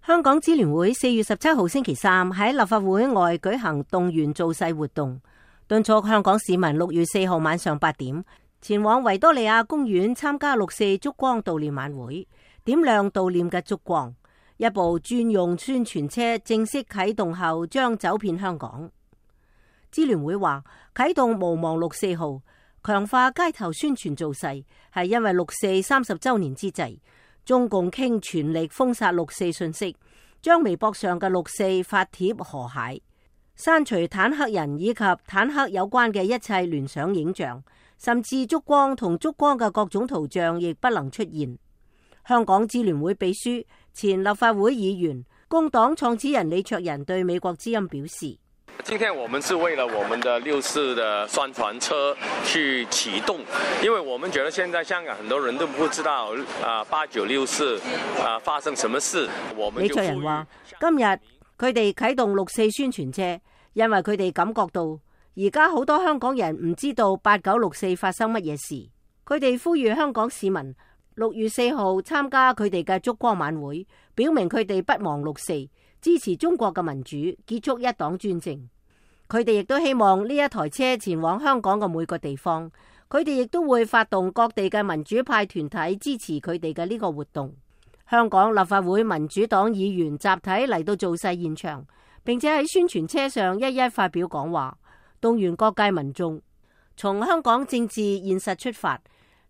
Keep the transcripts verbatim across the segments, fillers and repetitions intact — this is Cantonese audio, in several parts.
香港支聯會四月十七號星期三喺立法會外舉行動員造勢活動，敦促香港市民六月四號晚上八點前往維多利亞公園參加六四燭光悼念晚會，點亮悼念嘅燭光。一部專用宣傳車正式啟動後，將走遍香港。支聯會話啟動無忘六四號，強化街頭宣傳造勢，係因為六四三十周年之際，中共傾全力封殺六四信息，將微博上嘅六四發帖河蟹，刪除坦克人以及坦克有關嘅一切聯想影像，甚至燭光同燭光嘅各種圖像亦不能出現。香港支聯會秘書、前立法會議員、工黨創始人李卓人對美國之音表示：今天我們是為了我們的六四的宣傳車去啟動，因為我們覺得現在香港很多人都不知道啊八九六四啊發生什麼事。我們李卓人話：今日佢哋啟動六四宣傳車，因為佢哋感覺到而家好多香港人唔知道八九六四發生乜嘢事。佢哋呼籲香港市民六月四號參加佢哋嘅燭光晚會，表明佢哋不忘六四，支持中國嘅民主，結束一黨專政。佢哋亦都希望呢一台車前往香港嘅每個地方，佢哋亦都會發動各地嘅民主派團體支持佢哋嘅呢個活動。香港立法會民主黨議員集體嚟到造勢現場，並且喺宣傳車上一一發表講話，動員各界民眾從香港政治現實出發，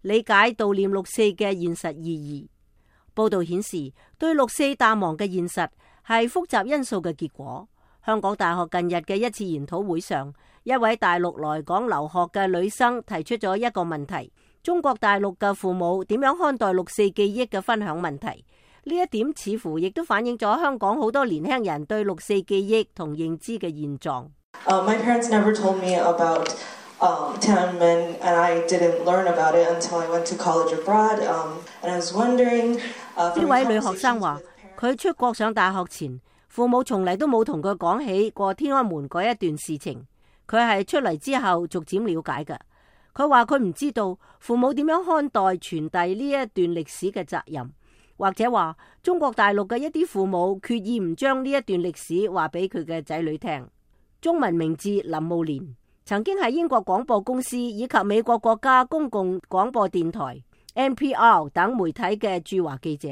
理解悼念六四嘅現實意義。報道顯示，對六四淡忘嘅現實係複雜因素嘅結果。香港大學近日嘅一次研討會上，一位大陸來港留學嘅女生提出咗一個問題：中國大陸嘅父母點樣看待六四記憶嘅分享問題？呢一點似乎亦都反映咗香港好多年輕人對六四記憶同認知嘅現狀。Uh, my parents never told me about um, Tiananmen, and I didn't learn about it until I went to college abroad. Um, and I was wondering. 呢位女學生話：佢出國上大學前，父母從嚟都冇同佢講起過天安門嗰一段事情，佢係出嚟之後逐漸了解嘅。佢話佢唔知道父母點樣看待傳遞呢一段歷史嘅責任，或者話中國大陸嘅一啲父母決意唔將呢一段歷史話俾佢嘅仔女聽。中文名字林慕蓮，曾經係英國廣播公司以及美國國家公共廣播電台 N P R 等媒體嘅駐華記者。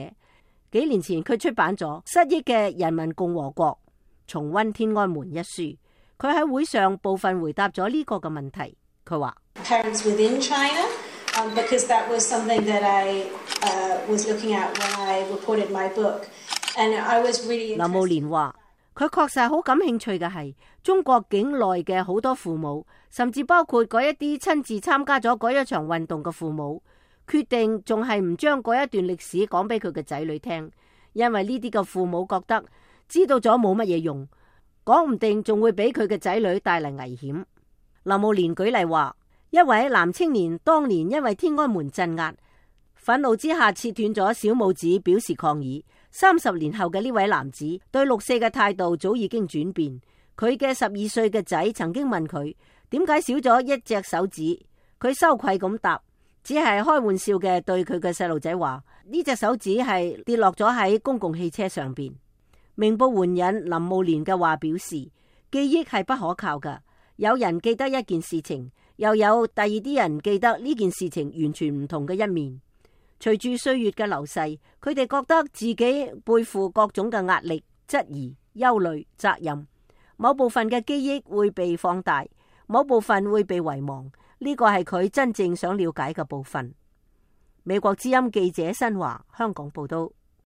幾年前佢出版咗《失憶嘅人民共和國：重溫天安門》一書，佢喺會上部分回答咗呢個嘅問題。佢話：Parents within China, um, because that was something that I uh, was looking at when I reported my book, and I was really interested. 林慕蓮話：佢確實好感興趣嘅係中國境內嘅好多父母，甚至包括嗰一啲親自參加咗嗰一場運動嘅父母。決定仲係唔將嗰一段歷史講俾佢嘅仔女聽，因為呢啲嘅父母覺得知道咗冇乜嘢用，講唔定仲會俾佢嘅仔女帶嚟危險。林慕蓮舉例話，一位男青年當年因為天安門鎮壓，憤怒之下切斷咗小拇指表示抗議。三十年後嘅呢位男子對六四嘅態度早已經轉變。佢嘅十二歲嘅仔曾經問佢點解少咗一隻手指，佢羞愧咁答，只係開玩笑嘅對佢嘅細路仔話：呢隻手指係跌落咗喺公共汽車上邊。明報援引林慕蓮嘅話表示，記憶係不可靠㗎，有人記得一件事情，又有第二啲人記得呢件事情完全唔同嘅一面。隨住歲月嘅流逝，佢哋覺得自己背負各種嘅壓力、質疑、憂慮、責任，某部分嘅記憶會被放大，某部分會被遺忘。呢個係佢真正想了解嘅部分。美國之音記者新華香港報道。